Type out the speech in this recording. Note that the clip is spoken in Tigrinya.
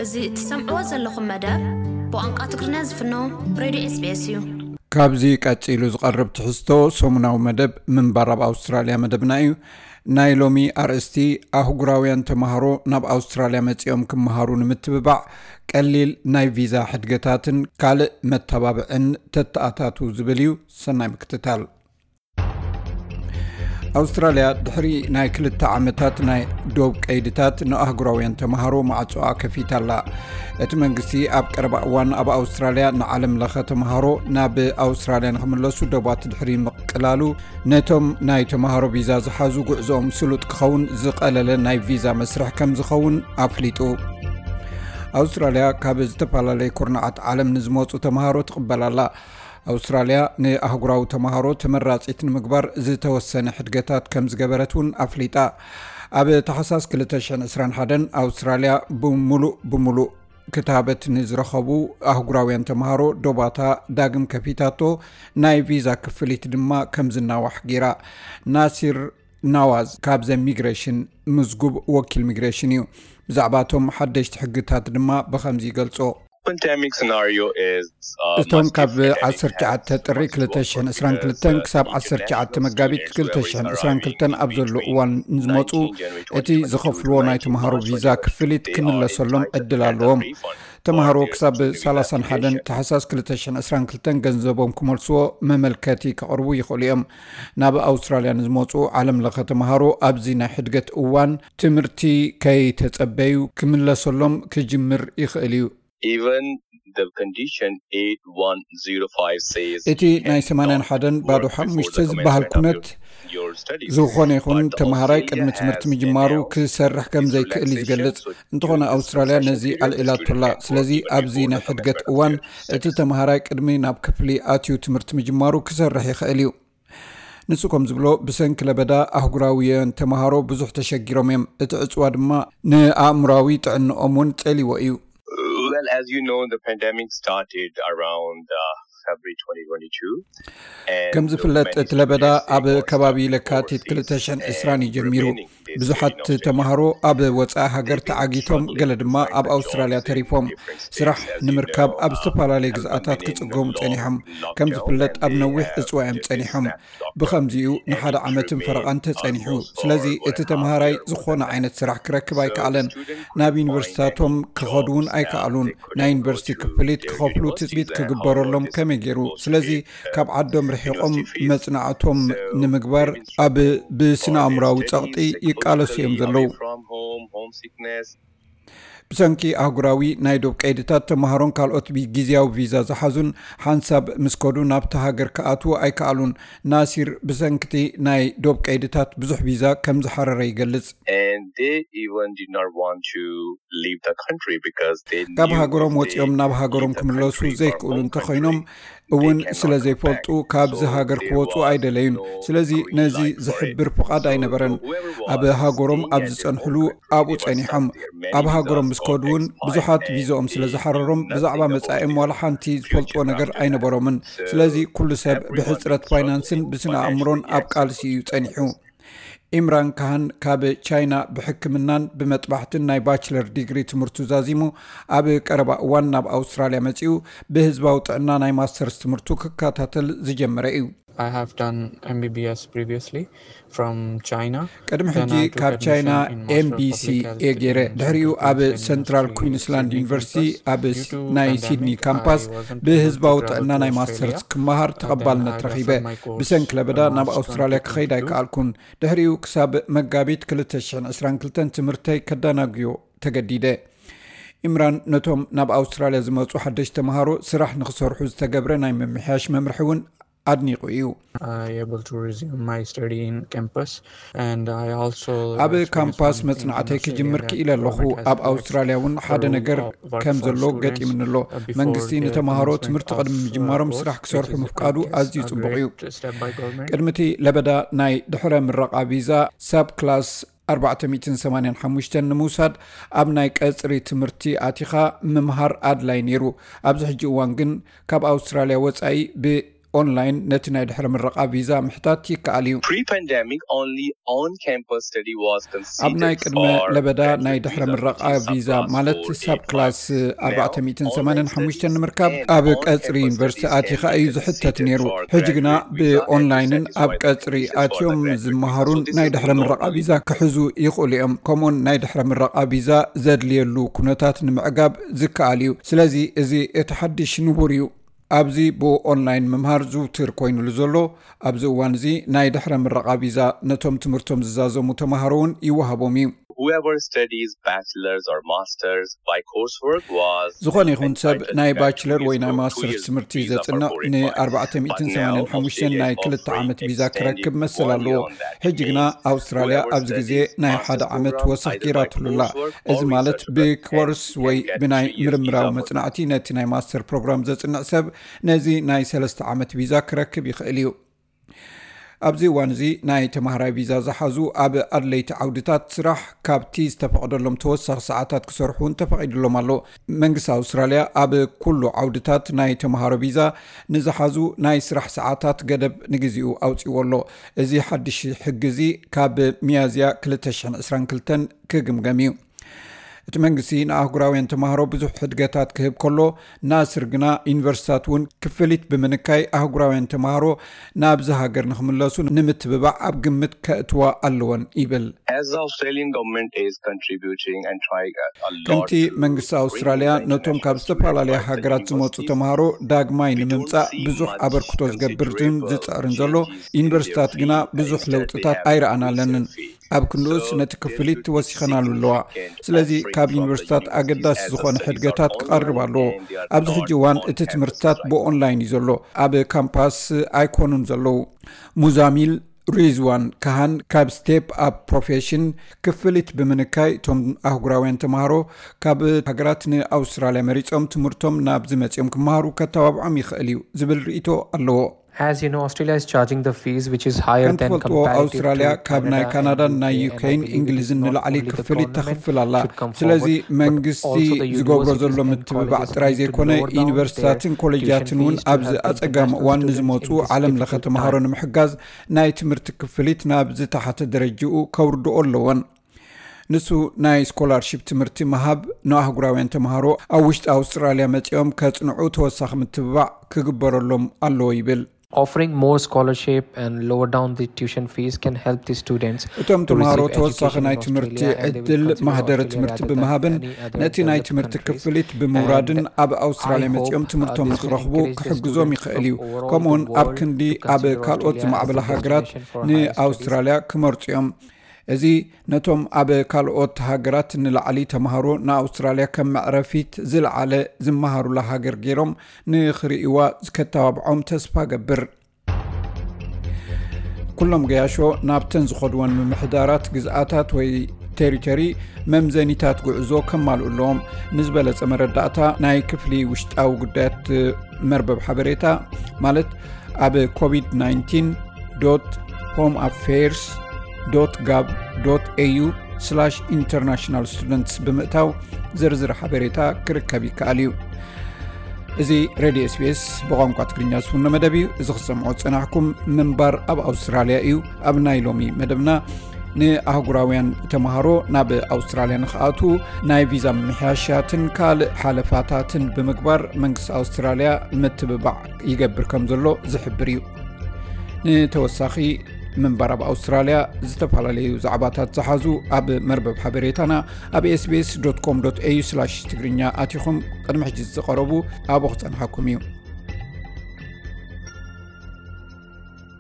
እዚ እትሰምዕዎ ዘለኹም መደብ ብቋንቋ ትግርኛ ዝፍኖ ሬድዮ ኤስቢኤስ እዩ። ካብዚ ቀጺሉ ዝቐርብ ትሕዝቶ ሰሙናዊ መደብ ምንባር ኣብ ኣውስትራልያ መደብና እዩ። ናይ ሎሚ ኣርእስቲ፣ ኣህጉራውያን ተማሃሮ ናብ ኣውስትራልያ መጺኦም ክመሃሩ ንምትብባዕ ቀሊል ናይ ቪዛ ሕድገታትን ካልእ መተባብዕን ተተኣታቱ ዝብል እዩ። ሰናይ ምክትታል። ኣውስትራልያ ድሕሪ ናይ ክልተ ዓመታት ናይ ዶብ ቀይድታት ንኣህጉራውያን ተማሃሮ ማዕጾኣ ከፊታ ኣላ። እቲ መንግስቲ ኣብ ቀረባ እዋን ኣብ ኣውስትራልያ ንዓለም ለኸ ተማሃሮ ናብ ኣውስትራልያ ንኽምለሱ ዶባት ድሕሪ ምቕላሉ፣ ነቶም ናይ ተማሃሮ ቪዛ ዝሓዙ ጉዕዞኦም ስሉጥ ክኸውን ዝቐለለ ናይ ቪዛ መስርሕ ከም ዝኸውን ኣፍሊጡ። ኣውስትራልያ ካብ ዝተፈላለየ ኩርናዓት ዓለም ንዝመጹ ተማሃሮ ትቕበል ኣላ። ኣውስትራልያ ንኣህጉራዊ ተማሃሮ ተመራጺት ንምግባር ዝተወሰነ ሕድገታት ከም ዝገበረት እውን ኣፍሊጣ። ኣብ ታሕሳስ ክልተ ሽሕን ዕስራን ሓደን ኣውስትራልያ ብምሉእ ብምሉእ ክታበት ንዝረኸቡ ኣህጉራውያን ተማሃሮ ዶባታ ዳግም ከፊታቶ፣ ናይ ቪዛ ክፍሊት ድማ ከም ዝናዋሕ ገይራ። ናሲር ናዋዝ ካብ ዘ ሚግሬሽን ምዝጉብ ወኪል ሚግሬሽን እዩ። ብዛዕባ እቶም ሓደሽቲ ሕግታት ድማ ብኸምዚ ይገልጾ። Pandemic scenario is uh, እቶም much ካብ different and it ዓሰርተ ትሽዓተ has ጥሪ much more ክልተ ሽሕን ዕስራን ክልተን because, ክሳብ uh, ዓሰርተ ትሽዓተ international መጋቢት students who are ክልተ ሽሕን ዕስራን ክልተን residing ኣብ ዘለዉ between እዋን ንዝመፁ nineteen January እቲ twenty twenty-two ዝኸፍልዎ to ናይ nineteen ተምሃሮ March ቪዛ twenty twenty-two, ክፍሊት they are ክምለሰሎም entitled ዕድል a ኣለዎም። refund ተምሃሮ for their ክሳብ student visa ሰላሳን ሓደን application. ታሕሳስ ክልተ ሽሕን ዕስራን ክልተን ገንዘቦም ክመልስዎ መመልከቲ ከቕርቡ ይኽእሉ እዮም። ናብ ኣውስትራልያ ንዝመፁ ዓለም ለኸ ተምሃሮ ኣብዚ ናይ ሕድገት እዋን ትምህርቲ ከይተጸበዩ ክምለሰሎም ክጅምር ይኽእል እዩ። Even the condition eight one zero five says እቲ ናይ ሰማንያን ሓደን ባዶ ሓሙሽተ ዝበሃል ኩነት ዝኾነ ይኹን ተምሃራይ ቅድሚ ትምህርቲ ምጅማሩ ክሰርሕ ከም ዘይክእል እዩ ዝገልጽ። እንተኾነ ኣውስትራልያ ነዚ ኣልዒላቶላ። ስለዚ ኣብዚ ናይ ሕድገት እዋን እቲ ተምሃራይ ቅድሚ ናብ ክፍሊ ኣትዩ ትምህርቲ ምጅማሩ ክሰርሕ ይኽእል እዩ። ንሱ ከም ዝብሎ፣ ብሰንኪ ለበዳ ኣህጉራውያን ተምሃሮ ብዙሕ ተሸጊሮም እዮም። እቲ ዕጽዋ ድማ ንኣእምራዊ ጥዕንኦም እውን ጸሊዎ እዩ። Well, as you know, the pandemic started around uh, February twenty twenty-two. ከም ዝፍለጥ፣ እቲ ለበዳ ኣብ ከባቢ ለካቲት ክልተ ሽሕን ዕስራን እዩ ጀሚሩ። ብዙሓት ተምሃሮ ኣብ ወጻኢ ሃገር ተዓጊቶም፣ ገለ ድማ ኣብ ኣውስትራልያ ተሪፎም። ስራሕ ንምርካብ ኣብ ዝተፈላለዩ ግዝኣታት ክጽገሙ ጸኒሖም። ከም ዝፍለጥ፣ ኣብ ነዊሕ ዕጽዋ እዮም ጸኒሖም። ብኸምዚኡ ንሓደ ዓመትን ፈረቓን ተጸኒሑ። ስለዚ እቲ ተምሃራይ ዝኾነ ዓይነት ስራሕ ክረክብ ኣይከኣለን። ናብ ዩኒቨርሲቲታቶም ክኸዱ እውን ኣይከኣሉን። ናይ ዩኒቨርሲቲ ክፍሊት ክኸፍሉ ትጽቢት ክግበረሎም ከመይ ገይሩ? ስለዚ ካብ ዓዶም ርሒቖም መጽናዕቶም ንምግባር ኣብ ብስነ ኣእምራዊ ጸቕጢ ይቃለሱ እዮም ዘለዉ። ብሰንኪ ኣህጉራዊ ናይ ዶብ ቀይድታት፣ ተምሃሮን ካልኦት ብግዝያዊ ቪዛ ዝሓዙን ሓንሳብ ምስ ከዱ ናብቲ ሃገር ክኣትዉ ኣይከኣሉን። ናሲር ብሰንክቲ ናይ ዶብ ቀይድታት ብዙሕ ቪዛ ከም ዝሓረረ ይገልጽ። And they even did not want to leave the country because they ካብ knew ሃገሮም if they ወጺኦም ናብ ሃገሮም leave the ክምለሱ country or ዘይክእሉ home እንተኾይኖም country, እውን they ስለ cannot ዘይፈልጡ back. ካብዚ So ሃገር they ክወጹ was ኣይደለዩን። no ስለዚ green ነዚ light for ዝሕብር it. ፍቓድ So ኣይነበረን። whoever ኣብ was ሃገሮም staying ኣብ at their ዝጸንሕሉ home country, ኣብኡ they were ጸኒሖም። stuck there. Many ኣብ ሃገሮም visas ምስ ከዱ got እውን expired ብዙሓት and ቪዛኦም ስለ they ዝሓረሮም knew ብዛዕባ nothing about መጻኢኦም it. ዋላ ሓንቲ ዝፈልጥዎ ነገር ኣይነበሮምን። ስለዚ ኩሉ ሰብ ብሕጽረት ፋይናንስን ብስነ ኣእምሮን ኣብ ቃልሲ እዩ ጸኒሑ። ኢምራን ካህን ካብ ቻይና ብሕክምናን ብመጥባሕትን ናይ ባችለር ዲግሪ ትምህርቱ ዛዚሙ ኣብ ቀረባ እዋን ናብ ኣውስትራልያ መጺኡ ብህዝባዊ ጥዕና ናይ ማስተርስ ትምህርቱ ክከታተል ዝጀመረ እዩ። I have done M B B S previously from China. ቅድሚ ሕጂ ካብ ቻይና ኤምቢሲ እየ ገይረ። ድሕሪኡ ኣብ ሰንትራል ኩዊንስላንድ ዩኒቨርሲቲ ኣብ ናይ ሲድኒ ካምፓስ ብህዝባዊ ጥዕና ናይ ማስተርስ ክመሃር ተቐባልነት ረኺበ። ብሰንኪ ለበዳ ናብ ኣውስትራልያ ክኸይድ ኣይከኣልኩን። ድሕሪኡ ክሳብ መጋቢት ክልተ ሽሕን ዕስራን ክልተን ትምህርተይ ከዳናግዮ ተገዲደ። ኢምራን ነቶም ናብ ኣውስትራልያ ዝመጹ ሓደሽቲ ተምሃሮ ስራሕ ንኽሰርሑ ዝተገብረ ናይ ምምሕያሽ መምርሒ እውን ኣድኒቑ እዩ። I able to resume my study in campus and I also ኣብ ካምፓስ መጽናዕተይ ክጅምር ክኢለ ኣለኹ። ኣብ ኣውስትራልያ እውን ሓደ ነገር ከም ዘሎ ገጢምኒ ኣሎ። መንግስቲ ንተምሃሮ ትምህርቲ ቅድሚ ምጅማሮም ስራሕ ክሰርሑ ምፍቃዱ ኣዝዩ ጽቡቕ እዩ። ቅድሚ እቲ ለበዳ ናይ ድሕረ ምረቓ ቪዛ ሳብ ክላስ ኣርባዕተ ሚእትን ሰማንያን ሓሙሽተን ንምውሳድ ኣብ ናይ ቀጽሪ ትምህርቲ ኣቲኻ ምምሃር ኣድላይ ነይሩ። ኣብዚ ሕጂ እዋን ግን ካብ ኣውስትራልያ ወጻኢ ብ ኦንላይን ነቲ ናይ ድሕረ ምረቓ ቪዛ ምሕታት ይከኣል እዩ። Pre-pandemic, only on-campus study was ኣብ ናይ considered ቅድመ for ለበዳ ናይ graduate ድሕረ visa, ምረቓ which is ቪዛ subclass ማለት four A ሳብ plus. ክላስ Now, ኣርባዕተ ሚእትን ሰማንያን ሓሙሽተን online ንምርካብ studies ኣብ and ቀጽሪ on-campus ዩኒቨርሲቲ studies ኣቲኻ can be እዩ ዝሕተት considered ነይሩ። for ሕጂ ግና graduate visa and ብኦንላይንን this ኣብ is why ቀጽሪ this is ኣትዮም for the graduate ዝመሃሩን visa ናይ since ድሕረ they ምረቓ only ቪዛ ክሕዙ ይኽእሉ እዮም። ከምኡውን ናይ ድሕረ ምረቓ ቪዛ ዘድልየሉ ኩነታት ንምዕጋብ ዝከኣል እዩ። ስለዚ እዚ እቲ ሓድሽ ንቡር እዩ። ኣብዚ ብኦንላይን ምምሃር ዝውትር ኮይኑሉ ዘሎ ኣብዚ እዋን እዚ ናይ ድሕረ ምረቓ ቪዛ ነቶም ትምህርቶም ዝዛዘሙ ተማሃሮ እውን ይወሃቦም እዩ። Whoever studies bachelor's or master's by coursework was ዝኾነ ይኹን ሰብ ናይ ባችለር ወይ ናይ ማስተርስ ትምህርቲ ዘጽንዕ ን ኣርባዕተ ሚእትን ሰማንያን ሓሙሽተን ናይ ክልተ ዓመት ቪዛ ክረክብ መሰል ኣለዎ። ሕጂ ግና ኣውስትራልያ ኣብዚ ግዜ ናይ ሓደ ዓመት ወሰኽ ጌራትሉላ። እዚ ማለት ብኮርስ ወይ ብናይ ምርምራዊ መጽናዕቲ ነቲ ናይ ማስተር ፕሮግራም ዘጽንዕ ሰብ ነዚ ናይ ሰለስተ ዓመት ቪዛ ክረክብ ይኽእል እዩ። ኣብዚ እዋን እዚ ናይ ተማሃራይ ቪዛ ዝሓዙ ኣብ ኣድለይቲ ዓውድታት ስራሕ ካብቲ ዝተፈቐደሎም ተወሳኺ ሰዓታት ክሰርሑ እውን ተፈቒድሎም ኣሎ። መንግስቲ ኣውስትራልያ ኣብ ኩሉ ዓውድታት ናይ ተማሃሮ ቪዛ ንዝሓዙ ናይ ስራሕ ሰዓታት ገደብ ንግዚኡ ኣውፂዎ ኣሎ። እዚ ሓድሽ ሕጊ እዚ ካብ ሚያዝያ ክልተ ሽሕን ዕስራን ክልተን ክግምገም እዩ። እቲ መንግስቲ ንኣህጉራውያን ተማሃሮ ብዙሕ ሕድገታት ክህብ ከሎ፣ ናስር ግና ዩኒቨርሲታት እውን ክፍሊት ብምንካይ ኣህጉራውያን ተማሃሮ ናብዚ ሃገር ንክምለሱ ንምትብባዕ ኣብ ግምት ከእትዋ ኣለወን ይብል። As the Australian government is contributing and trying a lot ከምቲ to መንግስቲ ኣውስትራልያ ነቶም ካብ ዝተፈላለያ ሃገራት ዝመፁ ተማሃሮ ዳግማይ ንምምፃእ ብዙሕ ኣበርክቶ ዝገብርን ዝፅዕርን ዘሎ፣ ዩኒቨርሲታት ግና ብዙሕ ለውጥታት ኣይረኣናለንን። ኣብ ክንድኡስ ነቲ ክፍሊት ወሲኸናሉ ኣለዋ። ስለዚ ካብ ዩኒቨርሲታት ኣገዳሲ ዝኾነ ሕድገታት ክቐርብ ኣለዎ። ኣብዚ ሕጂ እዋን እቲ ትምህርትታት ብኦንላይን እዩ ዘሎ። ኣብ ካምፓስ ኣይኮኑን ዘለዉ። ሙዛሚል ሪዝዋን ካሃን ካብ ስቴፕ ኣፕ ፕሮፌሽን ክፍሊት ብምንካይ እቶም ኣህጉራውያን ተማሃሮ ካብ ሃገራት ንኣውስትራልያ መሪጾም ትምህርቶም ናብ ዝመጽኦም ክመሃሩ ከተባብዖም ይኽእል እዩ ዝብል ርእይቶ ኣለዎ። As you know, Australia is charging the fees which is higher ከም than ትፈልጥዎ comparative ኣውስትራልያ to ካብ ናይ Canada ካናዳን and ናይ U K, ዩኬን and I እንግሊዝን believe ንላዕሊ only the ክፍሊት government ተኽፍል ኣላ። should come ስለዚ forward, but መንግስቲ also the ዝገብሮ universities ዘሎ and ምትብባዕ colleges ጥራይ need to ዘይኮነ lower down their ዩኒቨርሲታትን ኮሌጃትን እውን tuition fees to ኣብዚ help them ኣጸጋሚ pursue እዋን their studies ንዝመፁ in this ዓለም ለኸ difficult ተምሃሮ time. ንምሕጋዝ ናይ ትምህርቲ ክፍሊት ናብ ዝተሓተ ደረጅኡ ከውርድኦ ኣለወን። ንሱ ናይ ስኮላርሺፕ ትምህርቲ ምሃብ ንኣህጉራውያን ተምሃሮ ኣብ ውሽጢ ኣውስትራልያ መፂኦም ከፅንዑ ተወሳኺ ምትብባዕ ክግበረሎም ኣለዎ ይብል። Offering more scholarship and lower down the tuition fees can help the students እቶም to ተምሃሮ receive ተወሳኺ education ናይ in ትምህርቲ Australia, and they will ዕድል consider ማህደረ Australia ትምህርቲ rather than ብምሃብን any other ነቲ ናይ developed ትምህርቲ countries. ክፍሊት ብምውራድን And ኣብ ኣውስትራልያ I hope, መፂኦም uh, ትምህርቶም this ንክረኽቡ encourage the ክሕግዞም students ይኽእል to እዩ። look overall ከምኡውን the ኣብ world ክንዲ to ኣብ consider ካልኦት Australia as ዝማዕበላ a ሃገራት destination for higher studies. ንኣውስትራልያ ክመርፁ እዮም። እዚ ነቶም ኣብ ካልኦት ሃገራት ንላዕሊ ተምሃሮ ንኣውስትራልያ ከም መዕረፊት ዝለዓለ ዝመሃሩላ ሃገር ገይሮም ንኽርእይዋ ከተባብዖም ተስፋ ገብር። ኩሎም ገያሾ ናብተን ዝኸድወን ምምሕዳራት ግዝኣታት ወይ ቴሪቶሪ መምዘኒታት ጉዕዞ ከማልኡ ኣለዎም። ንዝበለጸ መረዳእታ ናይ ክፍሊ ውሽጣዊ ጉዳያት መርበብ ሓበሬታ ማለት ኣብ ኮቪድ ናይንቲን ዶት ሆም ኣፌርስ ዶት ጋቭ ዶት ኤዩ ስላሽ ኢንተርናሽናል ስቱደንትስ ብምእታው ዝርዝር ሓበሬታ ክርከብ ይከኣል እዩ። እዚ ሬድዮ ኤስቢኤስ ብቋንቋ ትግርኛ ዝፍኖ መደብ እዩ። እዚ ክትሰምዖ ዝጸናሕኩም ምንባር ኣብ ኣውስትራልያ እዩ። ኣብ ናይ ሎሚ መደብና ንኣህጉራውያን ተምሃሮ ናብ ኣውስትራልያ ንክኣትዉ ናይ ቪዛ ምምሕያሻትን ካልእ ሓለፋታትን ብምግባር መንግስቲ ኣውስትራልያ ምትብባዕ ይገብር ከም ዘሎ ዝሕብር እዩ። ንተወሳኺ ምንባር ኣብ ኣውስትራልያ ዝተፈላለዩ ዛዕባታት ዝሓዙ ኣብ መርበብ ሓበሬታና ኣብ ኤስቢኤስ ዶት ኮም ዶት ኤዩ ስላሽ ትግርኛ ኣቲኹም ቅድሚ ሕጂ ዝቐረቡ ኣብኡ ክጸንሓኩም እዩ።